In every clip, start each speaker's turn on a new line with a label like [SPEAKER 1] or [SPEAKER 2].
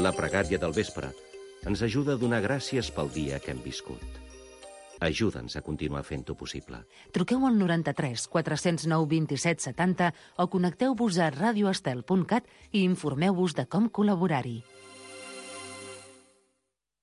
[SPEAKER 1] la pregària del vespre, ens ajuda a donar gràcies pel dia que hem viscut. Ajuda'ns a continuar fent-ho possible.
[SPEAKER 2] Truqueu al 93 409 27 70 o connecteu-vos a radioestel.cat i informeu-vos de com col·laborar-hi.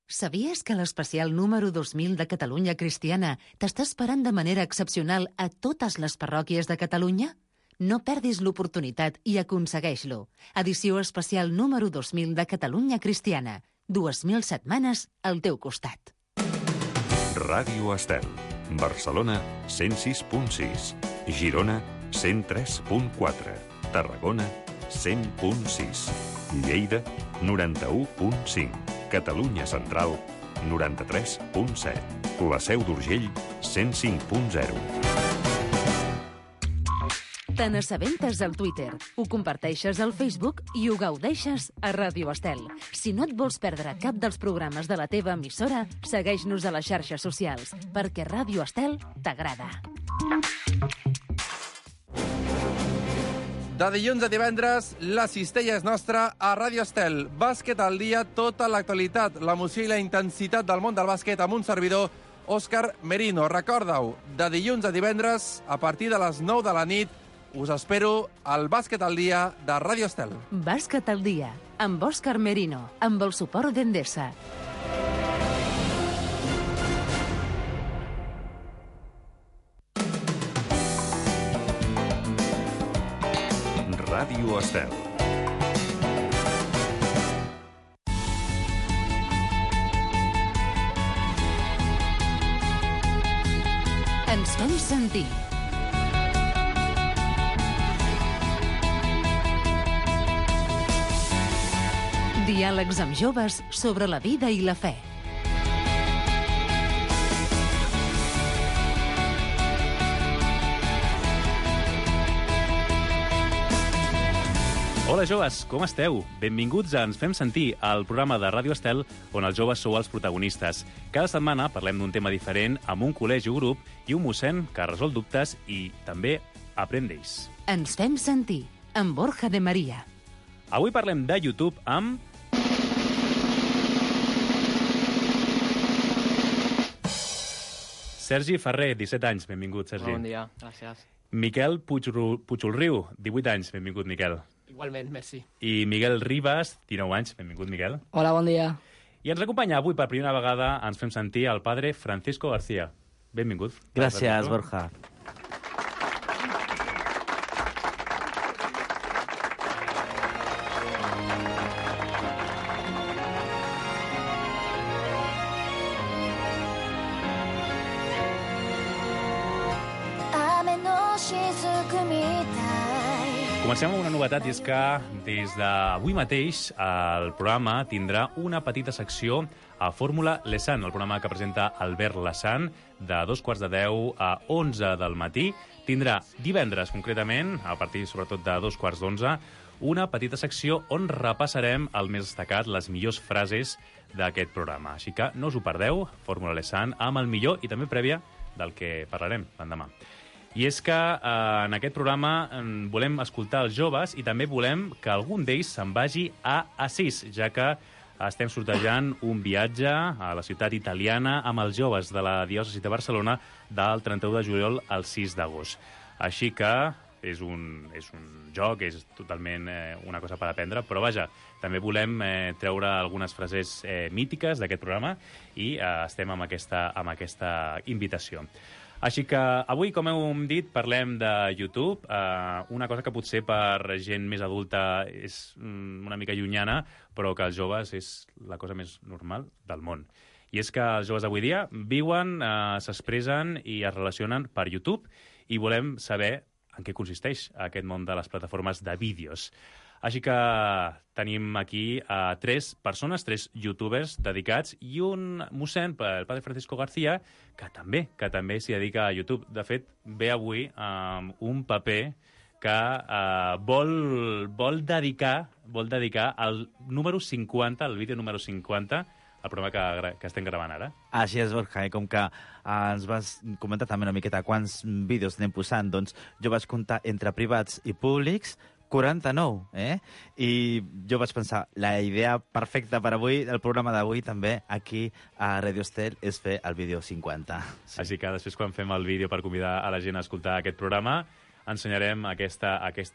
[SPEAKER 2] Sabies que l'especial número 2000 de Catalunya Cristiana t'està esperant de manera excepcional a totes les parròquies de Catalunya? No perdis l'oportunitat i aconsegueix-lo. Edició especial número 2000 de Catalunya Cristiana. 2.000 setmanes al teu costat.
[SPEAKER 3] Ràdio Estel. Barcelona, 106.6. Girona, 103.4. Tarragona, 100.6. Lleida, 91.5. Catalunya Central, 93.7. La Seu d'Urgell, 105.0.
[SPEAKER 2] Te n'assabentes al Twitter, ho comparteixes al Facebook i ho gaudeixes a Ràdio Estel. Si no et vols perdre cap dels programes de la teva emissora, segueix-nos a les xarxes socials, perquè Ràdio Estel t'agrada.
[SPEAKER 4] De dilluns a divendres, la cistella és nostra a Ràdio Estel. Bàsquet al dia, tota l'actualitat, l'emoció i la intensitat del món del bàsquet amb un servidor, Òscar Merino. Recorda-ho, de dilluns a divendres, a partir de les 9 de la nit, us espero al Bàsquet al dia de Ràdio Estel.
[SPEAKER 2] Bàsquet al dia, amb Òscar Merino, amb el suport d'Endesa.
[SPEAKER 3] Ràdio Estel.
[SPEAKER 2] Ens fem sentir. Diàlegs amb joves sobre la vida i la fe.
[SPEAKER 5] Hola joves, com esteu? Benvinguts a Ens fem sentir, el programa de Ràdio Estel on els joves sou els protagonistes. Cada setmana parlem d'un tema diferent amb un col·legi o grup i un mossèn que resol dubtes i també aprèn d'ells.
[SPEAKER 2] Ens fem sentir, amb Borja de Maria.
[SPEAKER 5] Avui parlem de YouTube amb... Sergi Ferrer, 17 anys, benvingut, Sergi.
[SPEAKER 6] Bon dia, gràcies.
[SPEAKER 5] Miquel Puigolriu, 18 anys, benvingut, Miquel.
[SPEAKER 6] Igualment, merci.
[SPEAKER 5] I Miguel Ribas, 19 anys, benvingut, Miquel.
[SPEAKER 6] Hola, bon dia.
[SPEAKER 5] I ens acompanya avui per primera vegada, ens fem sentir el padre Francisco García. Benvingut.
[SPEAKER 7] Gràcies, Borja.
[SPEAKER 5] Comencem amb una novetat, i és que des d'avui mateix el programa tindrà una petita secció a Fórmula Lesan, el programa que presenta Albert Lesan, de 2:15 a 11 del matí. Tindrà divendres, concretament, a partir sobretot de 2:15, una petita secció on repassarem el més destacat, les millors frases d'aquest programa. Així que no us ho perdeu, Fórmula Lesan, amb el millor i també prèvia del que parlarem l'endemà. I és que en aquest programa volem escoltar els joves i també volem que algun d'ells se'n vagi a Assís, ja que estem sortejant un viatge a la ciutat italiana amb els joves de la diòcesi de Barcelona del 31 de juliol al 6 d'agost. Així que és un joc, és totalment una cosa per aprendre, però vaja, també volem treure algunes frases mítiques d'aquest programa i estem amb aquesta invitació. Així que avui, com hem dit, parlem de YouTube, una cosa que potser per gent més adulta és una mica llunyana, però que els joves és la cosa més normal del món. I és que els joves d'avui dia viuen, s'expressen i es relacionen per YouTube i volem saber en què consisteix aquest món de les plataformes de vídeos. Així que tenim aquí tres persones, tres youtubers dedicats i un mossèn, el padre Francisco García, que també s'hi dedica a YouTube. De fet, ve avui amb un paper que vol dedicar al número 50, el vídeo número 50, el programa que estem gravant ara.
[SPEAKER 7] Així és, Borja, com que ens vas comentar també una miqueta quants vídeos anem posant, doncs jo vaig comptar entre privats i públics, 49, I jo vaig pensar, la idea perfecta per avui, el programa d'avui també, aquí a Radio Estel, és fer el vídeo 50.
[SPEAKER 5] Sí. Així que després, quan fem el vídeo per convidar a la gent a escoltar aquest programa, ensenyarem aquest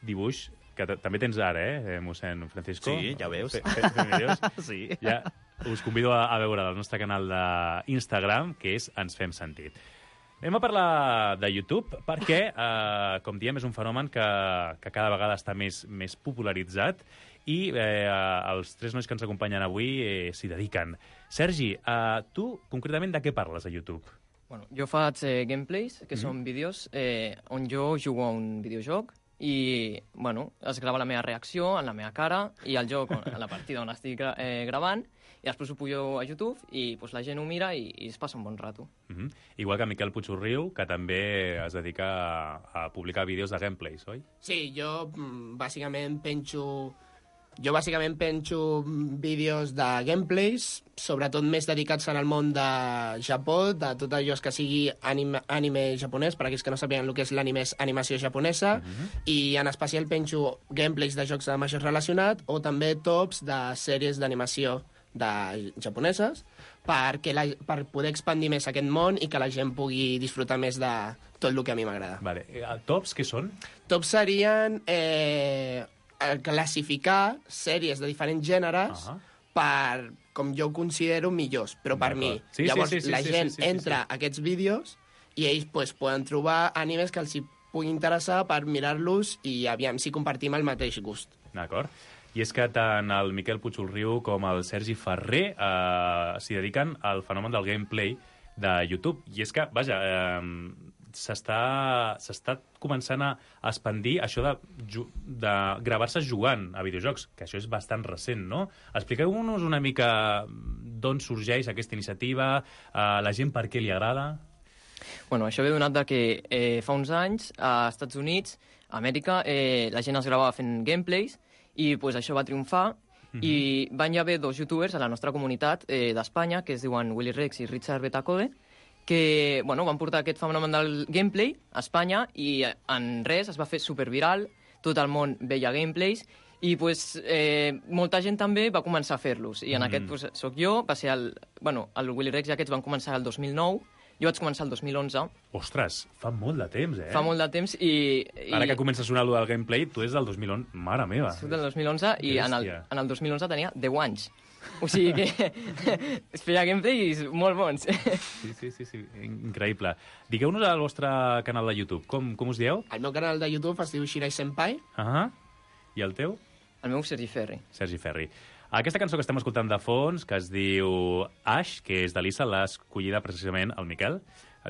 [SPEAKER 5] dibuix, que també tens ara, mossèn Francisco?
[SPEAKER 7] Sí, ja ho veus.
[SPEAKER 5] Fent vídeos.
[SPEAKER 7] Sí.
[SPEAKER 5] Ja us convido a veure el nostre canal d'Instagram, que és Ens Fem Sentit. Anem a parlar de YouTube perquè, com diem, és un fenomen que cada vegada està més popularitzat i els tres nois que ens acompanyen avui s'hi dediquen. Sergi, tu concretament de què parles a YouTube?
[SPEAKER 6] Bueno, jo faig gameplays, que són vídeos on jo jugo a un videojoc i bueno, es grava la meva reacció en la meva cara i el joc, en la partida on estic gravant, i després ho pujo a YouTube i pues, la gent ho mira i es passa un bon rato.
[SPEAKER 5] Igual que Miquel Puigurriu, que també es dedica a publicar vídeos de gameplays, oi?
[SPEAKER 8] Sí, jo bàsicament penjo vídeos de gameplays, sobretot més dedicats en el món de Japó, de tot allò que sigui anime japonès, per aquells que no sàpiguen el que és l'anime, és animació japonesa, i en especial penjo gameplays de jocs de majors relacionat o també tops de sèries d'animació japoneses per poder expandir més aquest món i que la gent pugui disfrutar més de tot el que a mi m'agrada.
[SPEAKER 5] Vale. Tops, què són?
[SPEAKER 8] Tops serien classificar sèries de diferents gèneres per, com jo ho considero, millors, però per mi. Llavors, la gent entra a aquests vídeos i ells poden trobar animes que els hi pugui interessar per mirar-los i aviam si compartim el mateix gust.
[SPEAKER 5] D'acord. I és que tant el Miquel Puigurriu com el Sergi Ferrer s'hi dediquen al fenomen del gameplay de YouTube. I és que, vaja, s'està començant a expandir això de gravar-se jugant a videojocs, que això és bastant recent, no? Expliqueu-nos una mica d'on sorgeix aquesta iniciativa, la gent per què li agrada.
[SPEAKER 6] Bueno, això ve donat de que fa uns anys a Estats Units, a Amèrica, la gent es gravava fent gameplays i pues, això va triomfar i van haver dos youtubers a la nostra comunitat d'Espanya, que es diuen Willy Rex i Richard Betacode, que bueno, van portar aquest fenomen del gameplay a Espanya i en res es va fer superviral, tot el món veia gameplays i pues, molta gent també va començar a fer-los. I en aquest pues, soc jo, va ser el Willy Rex i aquests van començar el 2009, jo vaig començar el 2011.
[SPEAKER 5] Ostres, fa molt de temps,
[SPEAKER 6] Fa molt de temps i...
[SPEAKER 5] Ara que comença a sonar allò del gameplay, tu és del 2011. Mare meva.
[SPEAKER 6] Soc del 2011 i en el 2011 tenia 10 anys. O sigui que es feia gameplays molt bons.
[SPEAKER 5] Sí, increïble. Digueu-nos al vostre canal de YouTube. Com us dieu?
[SPEAKER 8] El meu canal de YouTube es diu Shirai Senpai.
[SPEAKER 5] I el teu?
[SPEAKER 6] El meu Sergi Ferri.
[SPEAKER 5] Sergi Ferri. Aquesta cançó que estem escoltant de fons, que es diu Ash, que és de Lisa, l'ha escollida precisament el Miquel,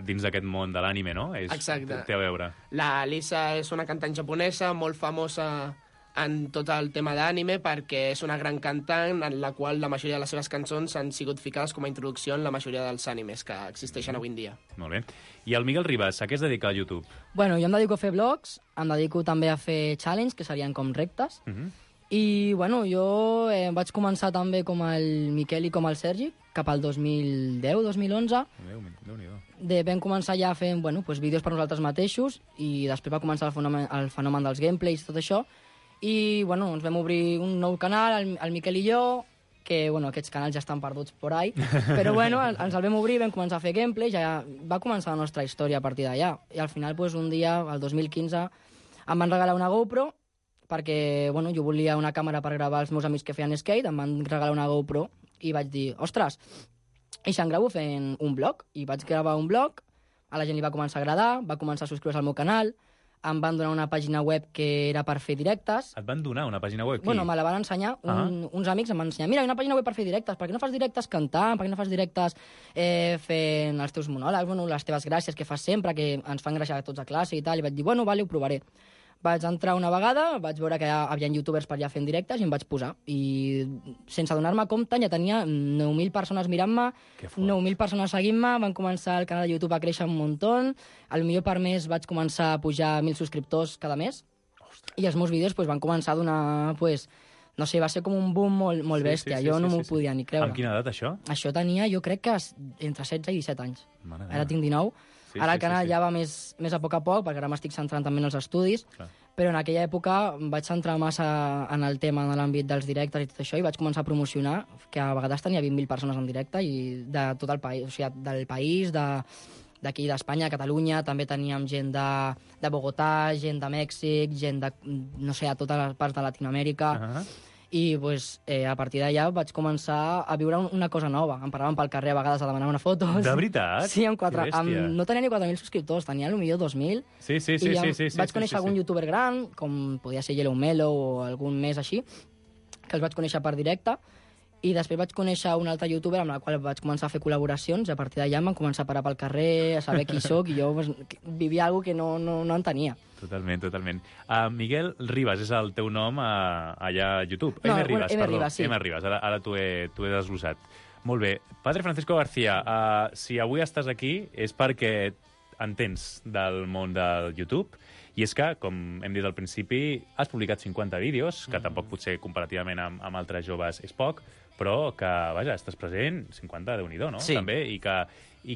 [SPEAKER 5] dins d'aquest món de l'ànime, no?
[SPEAKER 8] Exacte.
[SPEAKER 5] Té a veure.
[SPEAKER 8] La Lisa és una cantant japonesa molt famosa en tot el tema d'ànime perquè és una gran cantant en la qual la majoria de les seves cançons han sigut ficades com a introducció en la majoria dels ànimes que existeixen avui en dia.
[SPEAKER 5] Molt bé. I el Miguel Ribas, a què es dedica a YouTube?
[SPEAKER 9] Bueno, jo em dedico a fer vlogs, em dedico també a fer challenge, que serien com reptes, i bueno, jo vaig començar també com el Miquel i com el Sergi, cap al 2010-2011. Vam començar ja fent vídeos per nosaltres mateixos i després va començar el fenomen dels gameplays i tot això. I ens vam obrir un nou canal, el Miquel i jo, que aquests canals ja estan perduts por ahí, però ens el vam obrir, vam començar a fer gameplays, ja va començar la nostra història a partir d'allà. I al final, un dia, el 2015, em van regalar una GoPro, perquè jo volia una càmera per gravar els meus amics que feien skate, em van regalar una GoPro i vaig dir, ostres, i se'n gravo fent un blog. I vaig gravar un blog, a la gent li va començar a agradar, va començar a subscriure's al meu canal, em van donar una pàgina web que era per fer directes.
[SPEAKER 5] Et van donar una pàgina web?
[SPEAKER 9] Me la van ensenyar, uns amics em van ensenyar, mira, hi ha una pàgina web per fer directes, per què no fas directes cantant, per què no fas directes fent els teus monòlegs, les teves gràcies que fas sempre, que ens fan gràcia a tots a classe i tal, i vaig dir, vale, ho provaré. Vaig entrar una vegada, vaig veure que hi havia youtubers per allà fent directes i em vaig posar. I sense donar-me compte ja tenia 9.000 persones mirant-me, 9.000 persones seguint-me, van començar el canal de YouTube a créixer un muntó, potser per mes vaig començar a pujar 1.000 subscriptors cada mes, i els meus vídeos van començar a donar, no sé, va ser com un boom molt bèstia, jo no m'ho podia ni creure.
[SPEAKER 5] Amb quina edat, això?
[SPEAKER 9] Això tenia, jo crec que entre 16 i 17 anys. Ara tinc 19. Ara el canal ja va més a poc, perquè ara m'estic centrant també en els estudis. però en aquella època vaig centrar massa en el tema de l'àmbit dels directes i tot això, i vaig començar a promocionar, que a vegades tenia 20.000 persones en directe, i de tot el país, o sigui, del país, d'aquí d'Espanya, Catalunya, també teníem gent de Bogotà, gent de Mèxic, gent de, no sé, a totes les parts de Latinoamèrica, i pues, a partir d'allà vaig començar a viure una cosa nova. Em paraven pel carrer a vegades a demanar una foto.
[SPEAKER 5] De veritat?
[SPEAKER 9] Sí, no tenia ni 4.000 subscriptors, tenia potser 2.000.
[SPEAKER 5] Sí.
[SPEAKER 9] Vaig conèixer algun youtuber gran, com podia ser Yellow Melo o algun més així, que els vaig conèixer per directe, i després vaig conèixer un altre youtuber amb el qual vaig començar a fer col·laboracions, i a partir d'allà em van començar a parar pel carrer, a saber qui sóc, i jo vivia alguna que no entenia.
[SPEAKER 5] Totalment. Miguel Ribas és el teu nom allà a YouTube.
[SPEAKER 9] No,
[SPEAKER 5] M. Ribas,
[SPEAKER 9] M. Ribas, sí.
[SPEAKER 5] M. Ribas, ara t'ho he desglossat. Molt bé. Padre Francisco García, si avui estàs aquí és perquè entens del món del YouTube, i és que, com hem dit al principi, has publicat 50 vídeos, que tampoc potser comparativament amb altres joves és poc, però que, vaja, estàs present 50, Déu-n'hi-do, no?
[SPEAKER 7] Sí.
[SPEAKER 5] També, i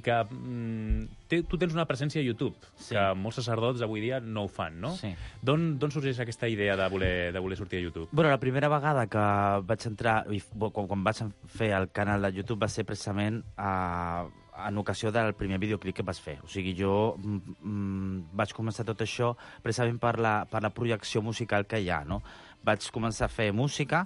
[SPEAKER 5] que tu tens una presència a YouTube, que molts sacerdots avui dia no ho fan, no?
[SPEAKER 7] Sí.
[SPEAKER 5] D'on sorgeix aquesta idea de voler sortir a YouTube?
[SPEAKER 7] Bueno, la primera vegada que vaig entrar, quan vaig fer el canal de YouTube, va ser precisament en ocasió del primer videoclip que vas fer. O sigui, jo vaig començar tot això precisament per la projecció musical que hi ha, no? Vaig començar a fer música,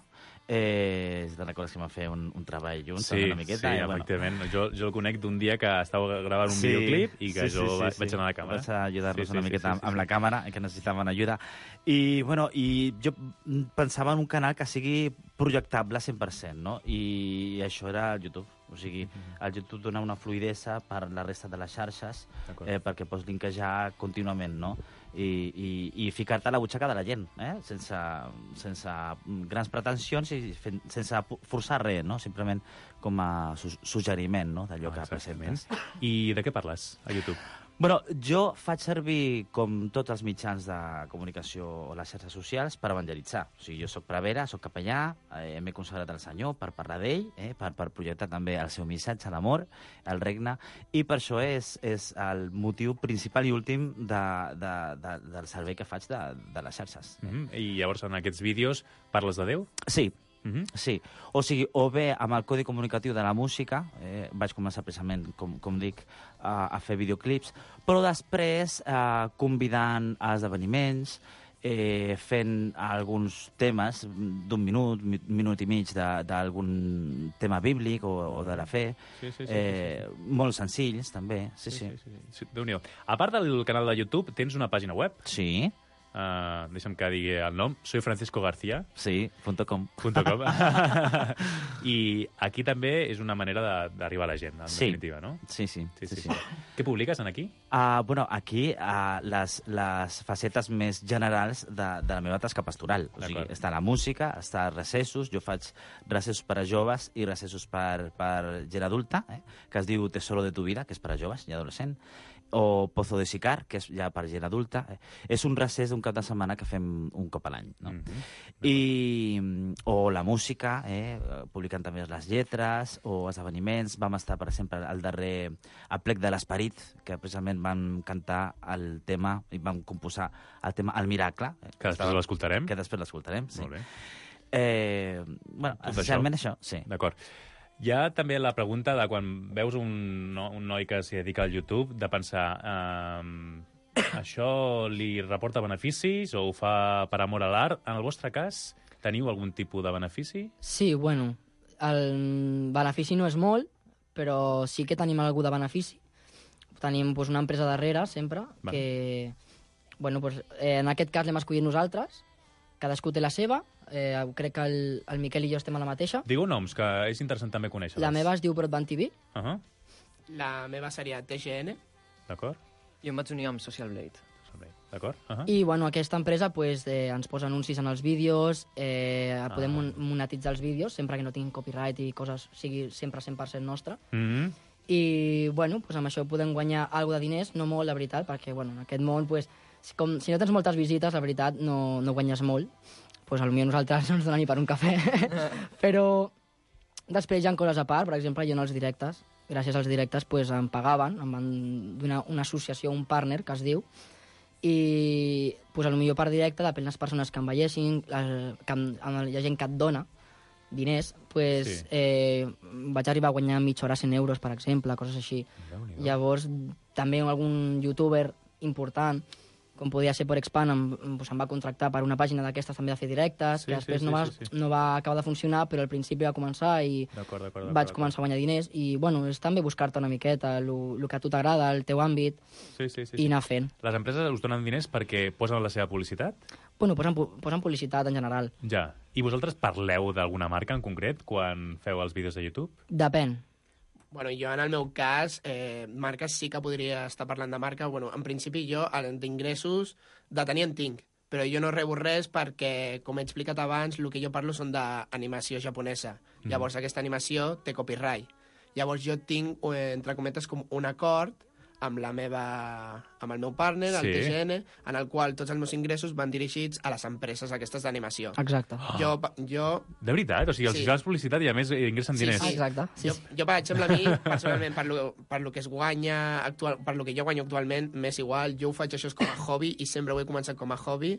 [SPEAKER 7] te'n recordes que vam fer un treball junts, una miqueta?
[SPEAKER 5] Sí, efectivament. Jo el conec d'un dia que estava gravant un videoclip i que jo vaig anar a la càmera.
[SPEAKER 7] Vaig ajudar-nos una miqueta amb la càmera, que necessitaven ajuda. I jo pensava en un canal que sigui projectable 100%, no? I això era el YouTube. O sigui, el YouTube dona una fluidesa per la resta de les xarxes perquè pots linkejar contínuament, no? I ficar-te a la butxaca de la gent, sense grans pretensions i sense forçar res, no? Simplement com a suggeriment, no? D'allò que presentes.
[SPEAKER 5] I de què parles a YouTube?
[SPEAKER 7] Bueno, jo faig servir, com tots els mitjans de comunicació o les xarxes socials, per evangelitzar. O sigui, jo soc prevere, soc capellà, m'he consagrat al Senyor per parlar d'ell, per projectar també el seu missatge, l'amor, el regne, i per això és el motiu principal i últim del servei que faig de les xarxes.
[SPEAKER 5] I llavors en aquests vídeos parles de Déu?
[SPEAKER 7] Sí. Sí, o sigui, o bé amb el codi comunicatiu de la música, vaig començar precisament, com dic, a fer videoclips, però després convidant a esdeveniments, fent alguns temes d'un minut i mig d'algun tema bíblic o de la fe, molt senzills també. Sí.
[SPEAKER 5] Déu-n'hi-do. A part del canal de YouTube, tens una pàgina web?
[SPEAKER 7] Sí.
[SPEAKER 5] Deixa'm que digui el nom. Soy Francisco García.
[SPEAKER 7] Sí, .com.
[SPEAKER 5] I aquí també és una manera d'arribar a la gent, en definitiva, no?
[SPEAKER 7] Sí.
[SPEAKER 5] Què publiques aquí?
[SPEAKER 7] Bueno, aquí les facetes més generals de la meva tasca pastoral. O sigui, està la música, està recessos, jo faig recessos per a joves i recessos per gent adulta, que es diu Tesoro de tu vida, que és per a joves i adolescent, o Pozo de Sicar, que és ja per gent adulta. És un recés d'un cap de setmana que fem un cop a l'any, no? O la música, publicant també les lletres, o esdeveniments. Vam estar, per exemple, al darrer Aplec de l'Esperit, que precisament vam cantar el tema, i vam composar el tema El Miracle.
[SPEAKER 5] Que després l'escoltarem.
[SPEAKER 7] Que després l'escoltarem, sí.
[SPEAKER 5] Molt bé.
[SPEAKER 7] Bueno, essencialment això, sí.
[SPEAKER 5] D'acord. Hi ha també la pregunta de quan veus un noi que s'hi dedica al YouTube, de pensar, això li reporta beneficis o ho fa per amor a l'art? En el vostre cas, teniu algun tipus de benefici?
[SPEAKER 9] Sí, bueno, el benefici no és molt, però sí que tenim algú de benefici. Tenim una empresa darrere, sempre, que... Bueno, en aquest cas l'hem escollit nosaltres, cadascú té la seva. Crec que el Miquel i jo estem a la mateixa.
[SPEAKER 5] Digueu noms, que és interessant també conèixer-les.
[SPEAKER 9] La meva es diu Broadband TV.
[SPEAKER 8] La meva seria TGN.
[SPEAKER 5] D'acord.
[SPEAKER 6] Jo em vaig unir amb Social Blade.
[SPEAKER 5] D'acord.
[SPEAKER 9] I bueno, aquesta empresa ens posa anuncis en els vídeos, podem monetitzar els vídeos, sempre que no tinguin copyright i coses, sigui sempre 100% nostre. I bueno, amb això podem guanyar alguna de diners, no molt, la veritat, perquè en aquest món, si no tens moltes visites, la veritat, no guanyes molt. Potser nosaltres no ens donen ni per un cafè. Però després hi ha coses a part. Per exemple, jo en els directes, gràcies als directes, em pagaven, em van donar una associació, un partner, que es diu, i pues, potser per directe, depèn les persones que em veiessin, hi ha gent que et dona diners, pues, vaig arribar a guanyar mitja hora 100 euros, per exemple, coses així. Llavors, també algun youtuber important, com podia ser por Expand, em va contractar per una pàgina d'aquestes també de fer directes, que després no va acabar de funcionar, però al principi va començar i vaig començar a guanyar diners. I, bueno, és també buscar-te una miqueta el que a tu t'agrada, el teu àmbit, i anar fent.
[SPEAKER 5] Les empreses us donen diners perquè posen la seva publicitat?
[SPEAKER 9] Bueno, posen publicitat en general.
[SPEAKER 5] Ja. I vosaltres parleu d'alguna marca en concret quan feu els vídeos de YouTube?
[SPEAKER 9] Depèn.
[SPEAKER 8] Bueno, jo en el meu cas, marques sí que podria estar parlant de marca. Bueno, en principi jo d'ingressos de tenir en tinc, però jo no rebo res perquè, com he explicat abans, el que jo parlo són d'animació japonesa. Llavors aquesta animació té copyright. Llavors jo tinc, entre cometes, com un acord amb el meu partner, el TGN, en el qual tots els meus ingressos van dirigits a les empreses aquestes d'animació.
[SPEAKER 9] Exacte.
[SPEAKER 8] Jo...
[SPEAKER 5] De veritat? O sigui, els fas publicitat i a més ingressen diners.
[SPEAKER 9] Sí, exacte.
[SPEAKER 8] Jo, per exemple, a mi, personalment, per lo que es guanya per lo que jo guanyo actualment, m'és igual. Jo ho faig això com a hobby i sempre ho he començat com a hobby.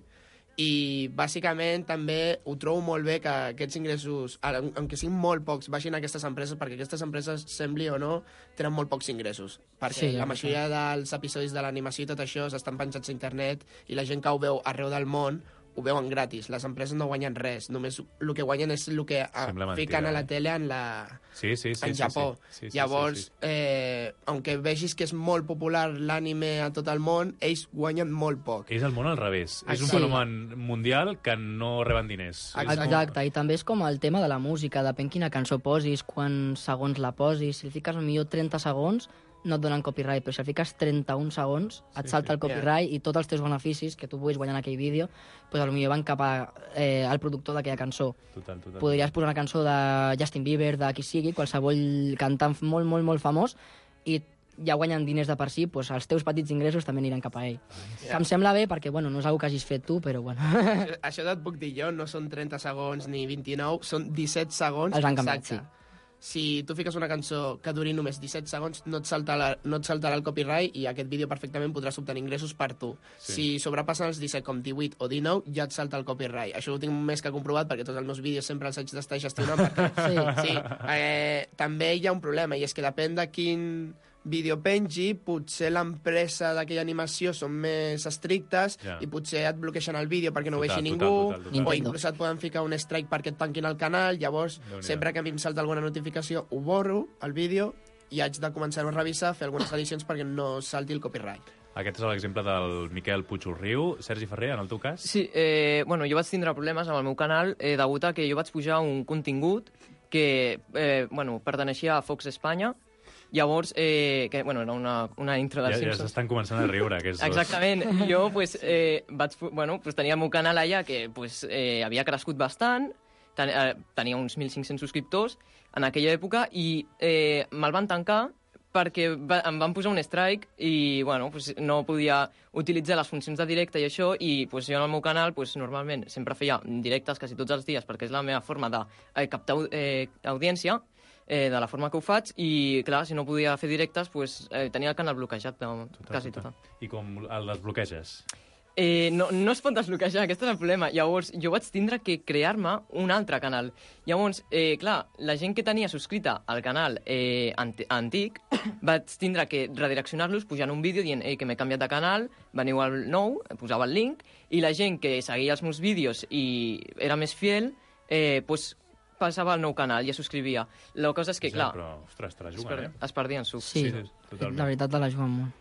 [SPEAKER 8] I bàsicament també ho trobo molt bé que aquests ingressos, aunque siguin molt pocs, baixin a aquestes empreses, perquè aquestes empreses, sembli o no, tenen molt pocs ingressos, perquè la majoria dels episodis de l'animació i tot això estan penjats a internet i la gent que ho veu arreu del món ho veuen gratis. Les empreses no guanyen res, només el que guanyen és el que fiquen a la tele en Japó. Llavors, aunque vegis que és molt popular l'anime a tot el món, ells guanyen molt poc.
[SPEAKER 5] És el món al revés. És un fenomen mundial que no reben diners.
[SPEAKER 9] Exacte, i també és com el tema de la música, depèn quina cançó posis, quants segons la posis. Si li fiques millor 30 segons, no et donen copyright, però si el fiques 31 segons, et salta el copyright i tots els teus beneficis que tu puguis guanyar en aquell vídeo, pues potser van cap al productor d'aquella cançó.
[SPEAKER 5] Total.
[SPEAKER 9] Podries posar una cançó de Justin Bieber, de qui sigui, qualsevol cantant molt, molt, molt famós, i ja guanyen diners de per si, pues els teus petits ingressos també aniran cap a ell. Que em sembla bé perquè, bueno, no és una que hagis fet tu, però bueno.
[SPEAKER 8] Això et puc dir jo, no són 30 segons ni 29, són 17 segons.
[SPEAKER 9] Els han canviat, sí.
[SPEAKER 8] Si tu fiques una cançó que duri només 17 segons, no et saltarà el copyright i aquest vídeo perfectament podràs obtenir ingressos per tu. Si sobrepassen els 17 com 18 o 19, ja et salta el copyright. Això ho tinc més que comprovat perquè tots els meus vídeos sempre els haig d'estar gestionant. També hi ha un problema i és que depèn de quin vídeo pengi, potser l'empresa d'aquella animació són més estrictes i potser et bloqueixen el vídeo perquè no ho vegi ningú, o inclús et poden ficar un strike perquè et tanquin el canal. Llavors, sempre que a mi em salta alguna notificació, ho borro, el vídeo, i haig de començar-ho a revisar, fer algunes edicions perquè no salti el copyright.
[SPEAKER 5] Aquest és l'exemple del Miquel Puigurriu. Sergi Ferrer, en el teu cas?
[SPEAKER 6] Sí, bueno, jo vaig tindre problemes amb el meu canal degut a que jo vaig pujar un contingut que perteneixia a Fox Espanya. Llavors, que, bueno, era una intro dels Simpsons.
[SPEAKER 5] Ja s'estan començant a riure, aquests dos.
[SPEAKER 6] Exactament. Jo, tenia el meu canal allà que havia crescut bastant, tenia uns 1.500 subscriptors en aquella època i me'l van tancar perquè em van posar un strike i no podia utilitzar les funcions de directe i això, i jo en el meu canal normalment sempre feia directes quasi tots els dies perquè és la meva forma de captar audiència, de la forma que ho faig, i clar, si no podia fer directes tenia el canal bloquejat quasi tot.
[SPEAKER 5] I com el desbloqueges?
[SPEAKER 6] No es pot desbloquejar, aquest és el problema. Llavors jo vaig tindre que crear-me un altre canal. Llavors, clar, la gent que tenia subscrita al canal antic vaig tindre que redireccionar-los pujant un vídeo dient que m'he canviat de canal, veniu al nou, posava el link, i la gent que seguia els meus vídeos i era més fiel, passava al nou canal i es subscrivia. La cosa és que, clar...
[SPEAKER 5] Però, ostres, te la juguen,
[SPEAKER 6] es perdien suc.
[SPEAKER 9] Sí, la veritat te la juguen molt.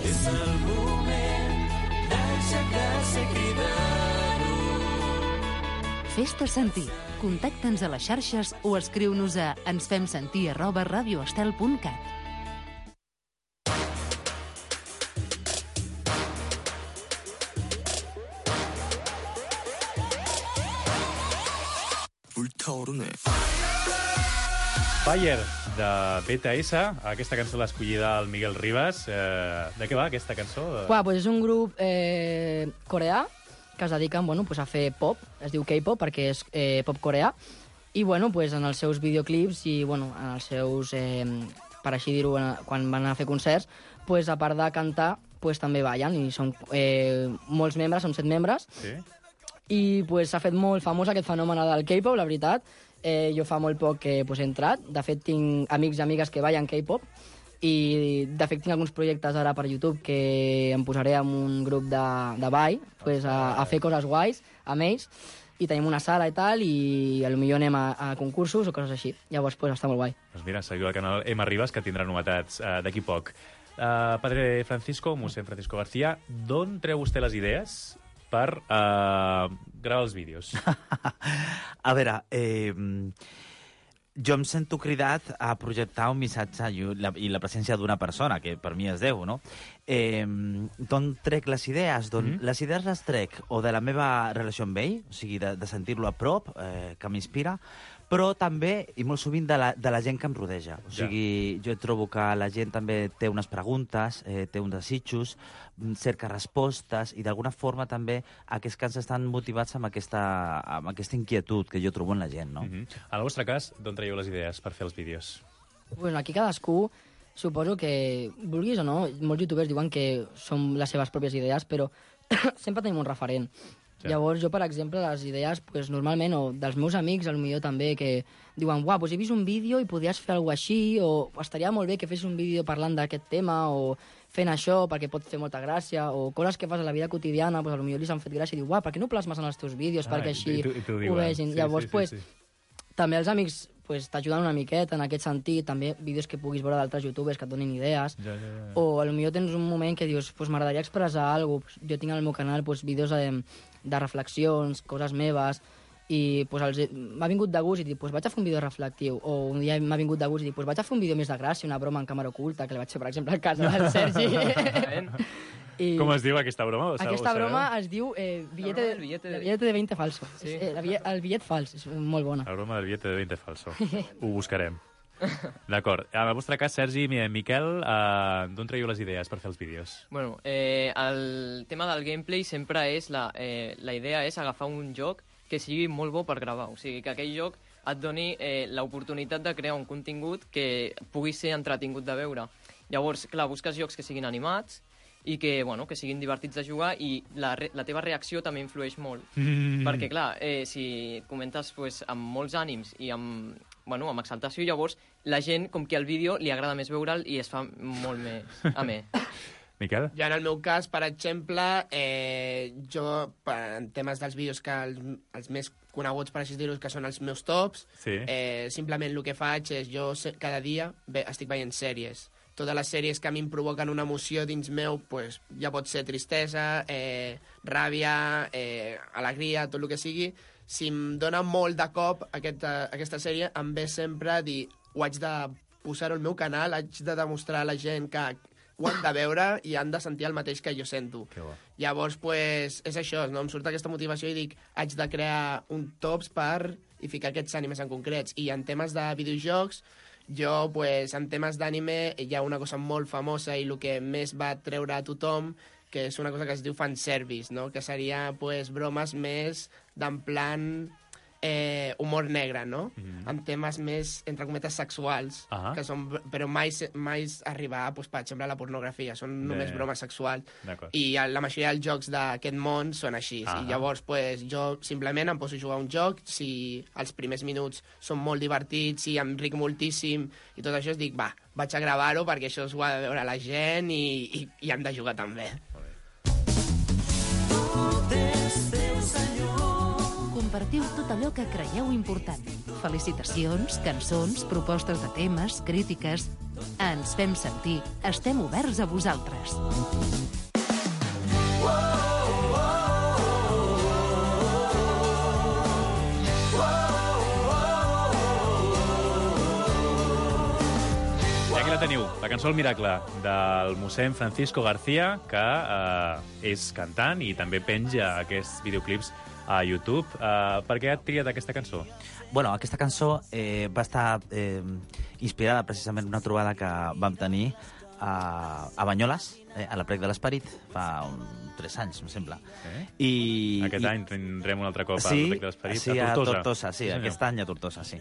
[SPEAKER 10] És el moment d'aixecar-se cridant-ho.
[SPEAKER 2] Fes-te sentir. Contacta'ns a les xarxes o escriu-nos a ensfemsentir@radioestel.cat.
[SPEAKER 5] Fire, de BTS, aquesta cançó l'ha escollida el Miguel Ribas. De què va aquesta cançó?
[SPEAKER 9] És un grup coreà que es dediquen a fer pop, es diu K-pop perquè és pop coreà, i en els seus videoclips i en els seus, per així dir-ho, quan van a fer concerts, a part de cantar, pues, també ballen, i som molts membres, som 7 membres,
[SPEAKER 5] Sí?
[SPEAKER 9] i pues, s'ha fet molt famós aquest fenomen del K-pop, la veritat. Jo fa molt poc que pues, he entrat. De fet, tinc amics i amigues que ballen K-pop, i de fet tinc alguns projectes ara per YouTube que em posaré amb un grup de ball pues, a fer coses guais amb ells, i tenim una sala i tal, i potser anem a concursos o coses així. Llavors, pues, està molt guai.
[SPEAKER 5] Doncs mira, seguiu el canal M. Ribas, que tindrà novetats d'aquí poc. Padre Francisco, Mossèn Francisco García, d'on treu vostè les idees per gravar els vídeos?
[SPEAKER 7] A veure, jo em sento cridat a projectar un missatge i la presència d'una persona, que per mi és Déu, no? D'on trec les idees? Les idees les trec o de la meva relació amb ell, o sigui, de sentir-lo a prop, que m'inspira, però també, i molt sovint, de la gent que em rodeja. O sigui, jo trobo que la gent també té unes preguntes, té uns desitjos, cerca respostes, i d'alguna forma també aquests cants estan motivats amb aquesta inquietud que jo trobo en la gent, no?
[SPEAKER 5] En el vostre cas, d'on traieu les idees per fer els vídeos?
[SPEAKER 9] Bueno, aquí cadascú, suposo que, vulguis o no, molts youtubers diuen que són les seves pròpies idees, però sempre tenim un referent. Sí. Llavors, jo, per exemple, les idees, pues, normalment, o dels meus amics, potser també, que diuen, uah, doncs he vist un vídeo i podries fer alguna cosa així, o estaria molt bé que fes un vídeo parlant d'aquest tema, o fent això perquè pot fer molta gràcia, o coses que fas a la vida quotidiana, doncs potser li han fet gràcia i diu, uah, per què no plasmes en els teus vídeos perquè així ho vegin? Llavors, també els amics pues, t'ajuden una miqueta en aquest sentit, també vídeos que puguis veure d'altres youtubers que et donin idees, o potser tens un moment que dius, pues, m'agradaria expressar alguna cosa, jo tinc al meu canal pues, vídeos de reflexions, coses meves, i pues, m'ha vingut de gust i dic, pues, vaig a fer un vídeo reflectiu, o un dia m'ha vingut de gust i dic, pues, vaig a fer un vídeo més de gràcia, una broma en càmera oculta, que li vaig fer, per exemple, al casa del Sergi.
[SPEAKER 5] Com es diu aquesta broma?
[SPEAKER 9] Aquesta broma es diu billete de 20 falso. Sí. El bitllet fals, és molt bona.
[SPEAKER 5] La broma del billete de 20 falso. Ho buscarem. D'acord. En el vostre cas, Sergi i Miquel, d'on traieu les idees per fer els vídeos?
[SPEAKER 6] Bueno, el tema del gameplay sempre és... La idea és agafar un joc que sigui molt bo per gravar. O sigui, que aquell joc et doni l'oportunitat de crear un contingut que pugui ser entretingut de veure. Llavors, clar, busques jocs que siguin animats i que, bueno, que siguin divertits de jugar, i la teva reacció també influeix molt. Perquè, clar, si comentes pues, amb molts ànims i amb exaltació, llavors la gent, com que al vídeo li agrada més veure'l i es fa molt més amè.
[SPEAKER 5] Miquel?
[SPEAKER 8] Ja en el meu cas, per exemple, jo, en temes dels vídeos que els més coneguts, per així dir-ho, que són els meus tops, simplement el que faig és, jo cada dia estic veient sèries. Totes les sèries que a mi em provoquen una emoció dins meu, pues, ja pot ser tristesa, ràbia, alegria, tot el que sigui. Si em dona molt de cop aquesta sèrie, em ve sempre a dir, ho haig de posar-ho al meu canal, haig de demostrar a la gent que ho han de veure i han de sentir el mateix que jo sento. Llavors, pues, és això, no? Em surt aquesta motivació i dic, haig de crear un tops i ficar aquests ànimes en concrets. I en temes de videojocs, jo, pues, en temes d'anime, hi ha una cosa molt famosa i el que més va treure a tothom, que és una cosa que es diu fanservice, no? Que seria, pues, bromes més d'en plan humor negre, no? En temes més, entre cometes, sexuals, que són, però mai arribar, pues, per exemple, a la pornografia. Són només bromes sexuals. I la majoria dels jocs d'aquest món són així. I llavors, pues, jo simplement em poso a jugar un joc, si els primers minuts són molt divertits i em ric moltíssim i tot això, dic, va, vaig a gravar-ho perquè això ho ha de veure la gent i hem de jugar també.
[SPEAKER 2] Compartiu tot allò que creieu important. Felicitacions, cançons, propostes de temes, crítiques... Ens fem sentir. Estem oberts a vosaltres.
[SPEAKER 5] I aquí la teniu, la cançó El Miracle, del mossèn Francisco García, que és cantant i també penja aquests videoclips a YouTube. Per què has triat aquesta cançó?
[SPEAKER 7] Bueno, aquesta cançó va estar inspirada precisament en una trobada que vam tenir a Banyoles, a l'Aplec de l'Esperit, fa 3 anys, em sembla.
[SPEAKER 5] Aquest any tindrem un altre cop a l'Aplec de l'Esperit,
[SPEAKER 7] sí,
[SPEAKER 5] a Tortosa.
[SPEAKER 7] Sí, aquest any a Tortosa, sí.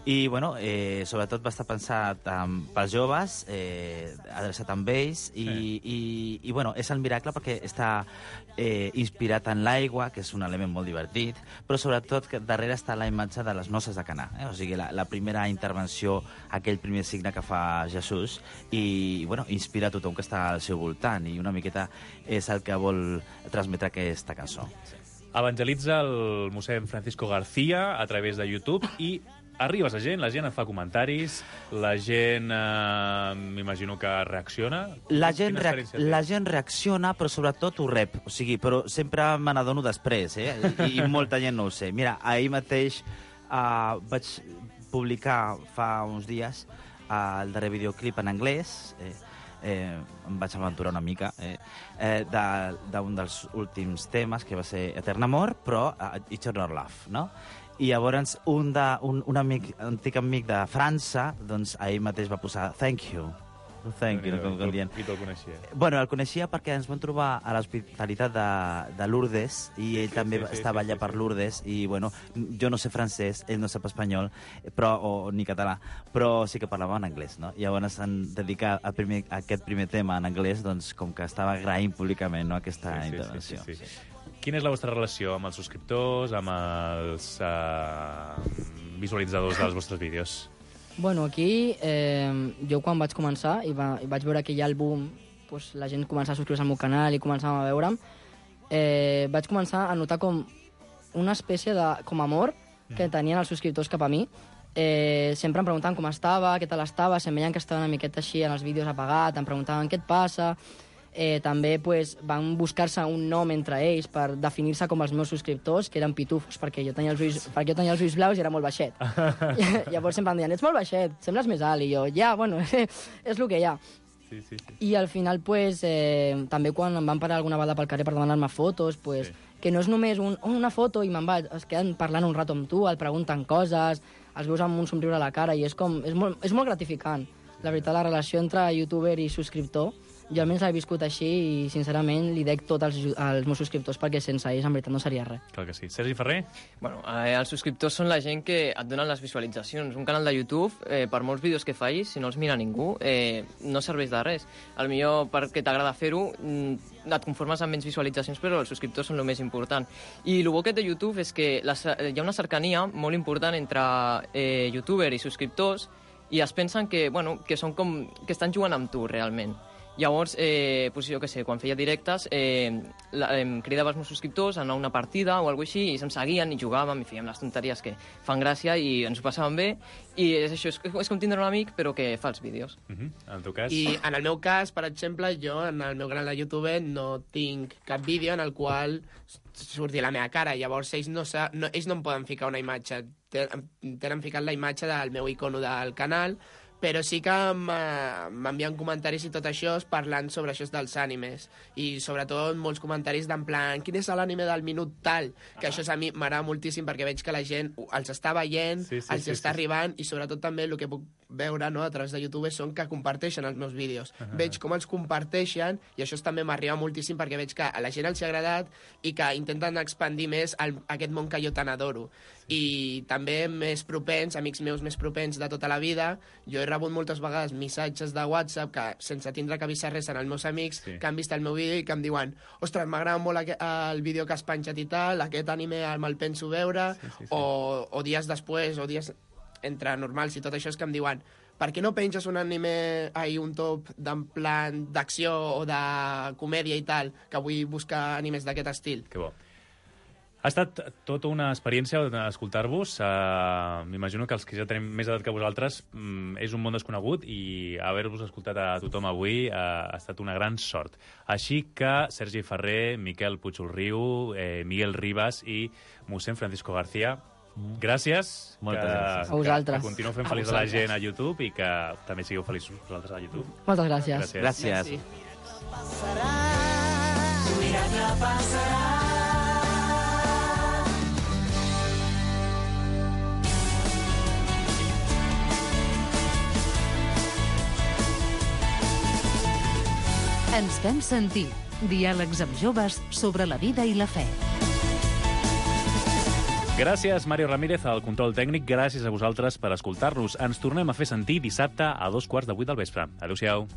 [SPEAKER 7] I, bueno, sobretot va estar pensat pels joves, adreçat amb ells, i bueno, és el miracle perquè està inspirat en l'aigua, que és un element molt divertit, però sobretot que darrere està la imatge de les noces de Canà, o sigui, la primera intervenció, aquell primer signe que fa Jesús, i, bueno, inspira tothom que està al seu voltant, i una miqueta és el que vol transmetre aquesta cançó.
[SPEAKER 5] Evangelitza el mossèn Francisco García a través de YouTube i arribes a la gent et fa comentaris, la gent m'imagino que reacciona.
[SPEAKER 7] La gent reacciona, però sobretot ho rep, o sigui, però sempre me n'adono després, i molta gent no ho sé. Mira, ahir mateix vaig publicar fa uns dies el darrer videoclip en anglès, em vaig aventurar una mica, d'un dels últims temes, que va ser Etern Amor, però Eternal Love, no? I llavors un antic amic de França, doncs ahir mateix va posar Thank you. Thank you, com dient.
[SPEAKER 5] I te'l coneixia?
[SPEAKER 7] Bueno, el coneixia perquè ens vam trobar a l'hospitalitat de Lourdes i ell també estava allà per Lourdes i, bueno, jo no sé francès, ell no sap espanyol ni català, però sí que parlava en anglès, no? I llavors en dedicar a aquest primer tema en anglès, doncs com que estava agraint públicament aquesta intervenció.
[SPEAKER 5] Quina és la vostra relació amb els subscriptors, amb els visualitzadors dels vostres vídeos?
[SPEAKER 9] Bueno, aquí jo quan vaig començar i vaig veure que hi ha el boom, pues, la gent començava a subscriure-se al meu canal i començàvem a veure'm, vaig començar a notar com una espècie de amor que tenien els subscriptors cap a mi. Sempre em preguntaven com estava, què tal estava, se'm veien que estava una miqueta així en els vídeos apagat, em preguntaven què et passa. També pues, van buscar-se un nom entre ells per definir-se com els meus subscriptors, que eren pitufos, perquè jo tenia els ulls blaus i era molt baixet. Llavors sempre em deien, ets molt baixet, sembles més alt, i jo, bueno, és el que hi ha. I al final, pues, també quan em van parar alguna vegada pel carrer per demanar-me fotos, pues, que no és només una foto i me'n vaig, es queden parlant un rato amb tu, et pregunten coses, els veus amb un somriure a la cara, i és molt gratificant. La veritat, la relació entre youtuber i subscriptor, jo almenys l'he viscut així i, sincerament, li dec tot als meus subscriptors perquè sense ells, en veritat, no seria res.
[SPEAKER 5] Clar que sí. Sergi Ferrer?
[SPEAKER 6] Bueno, els subscriptors són la gent que et donen les visualitzacions. Un canal de YouTube, per molts vídeos que facis, si no els mira ningú, no serveix de res. Al millor perquè t'agrada fer-ho, et conformes amb menys visualitzacions, però els subscriptors són el més important. I el bo que té YouTube és que hi ha una cercania molt important entre youtuber i subscriptors i es pensen que són com que estan jugant amb tu, realment. Llavors, pues jo què sé, quan feia directes, em cridava els meus subscriptors a anar a una partida o alguna cosa així, i se'm seguien i jugàvem i fèiem les tonteries que fan gràcia i ens ho passàvem bé. I és això, és com tindre un amic, però que fa els vídeos.
[SPEAKER 5] En el teu cas?
[SPEAKER 8] I en el meu cas, per exemple, jo en el meu canal de YouTube no tinc cap vídeo en el qual surti la meva cara. Llavors ells no em poden ficar una imatge. Tenen ficat la imatge del meu icono del canal, però sí que m'envien comentaris i tot això parlant sobre això dels ànimes, i sobretot molts comentaris d'en plan, quin és l'ànime del minut tal, que això a mi m'agrada moltíssim perquè veig que la gent els està veient, els està arribant, i sobretot també el que puc veure, no, a través de YouTube són que comparteixen els meus vídeos. Veig com els comparteixen i això també m'arriba moltíssim perquè veig que a la gent els ha agradat i que intenten expandir més aquest món que jo tan adoro. I també més propens, amics meus més propens de tota la vida, jo he rebut moltes vegades missatges de WhatsApp que, sense tindre que avisar res als meus amics, que han vist el meu vídeo i que em diuen, ostres, m'agrada molt el vídeo que has penjat i tal, aquest anime me'l penso veure, o dies després, o dies entre normals i tot això, és que em diuen, per què no penges un anime, un top d'en plan d'acció o de comèdia i tal, que vull buscar animes d'aquest estil?
[SPEAKER 5] Que bo. Ha estat tota una experiència escoltar-vos. M'imagino que els que ja tenim més edat que vosaltres és un món desconegut i haver-vos escoltat a tothom avui ha estat una gran sort. Així que Sergi Ferrer, Miquel Puig-Ulriu, Miguel Ribas i mossèn Francisco García, gràcies.
[SPEAKER 7] Moltes gràcies.
[SPEAKER 9] A vosaltres.
[SPEAKER 5] Que continueu fent feliç a la gent a YouTube i que també sigueu feliços vosaltres a YouTube.
[SPEAKER 9] Moltes gràcies.
[SPEAKER 7] Gràcies.
[SPEAKER 10] Miracle passarà.
[SPEAKER 2] Ens fem sentir. Diàlegs amb joves sobre la vida i la fe.
[SPEAKER 5] Gràcies, Mario Ramírez, al control tècnic. Gràcies a vosaltres per escoltar-nos. Ens tornem a fer sentir dissabte a 2:15 del vespre. Adéu-siau.